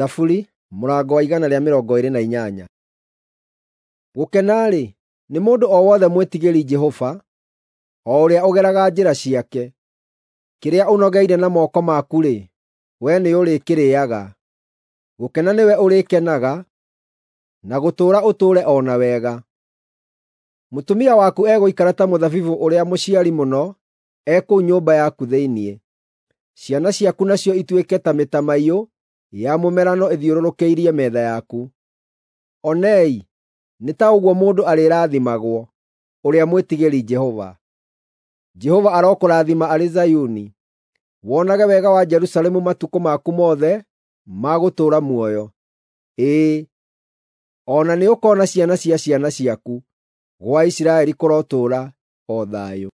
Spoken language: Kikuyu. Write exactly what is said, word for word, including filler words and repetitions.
Thaburi mũrango wa igana rĩa mĩrongo ĩĩrĩ na inyanya. Gũkena-rĩ, nĩ mũndũ o wothe mwĩtigĩri Jehova, o ũrĩa ũgeraga njĩra ciake. Kĩrĩa ũnogeire na moko maku-rĩ, wee nĩũrĩkĩrĩĩaga; gũkena nĩwe ũrĩkenaga, na gũtũũra ũtũũre o na wega. Mũtumia waku egũikara ta mũthabibũ ũrĩa mũciari mũno e kũu nyũmba yaku thĩinĩ, ciana ciaku nacio ituĩke ta mĩtamaiyũ ya mũmerano ĩthiũrũrũkĩirie metha yaku. Onei, nĩ ta ũguo mũndũ arĩrathimagwo, ũrĩa mwĩtigĩri Jehova. Jehova arokũrathima arĩ Zayuni, wonage wega wa Jerusalemu matukũ maku mothe ma gũtũũra muoyo. Ĩĩ, o na nĩũkoona ciana cia ciana ciaku. Gwa Isiraeli kũrotũũra o thayũ.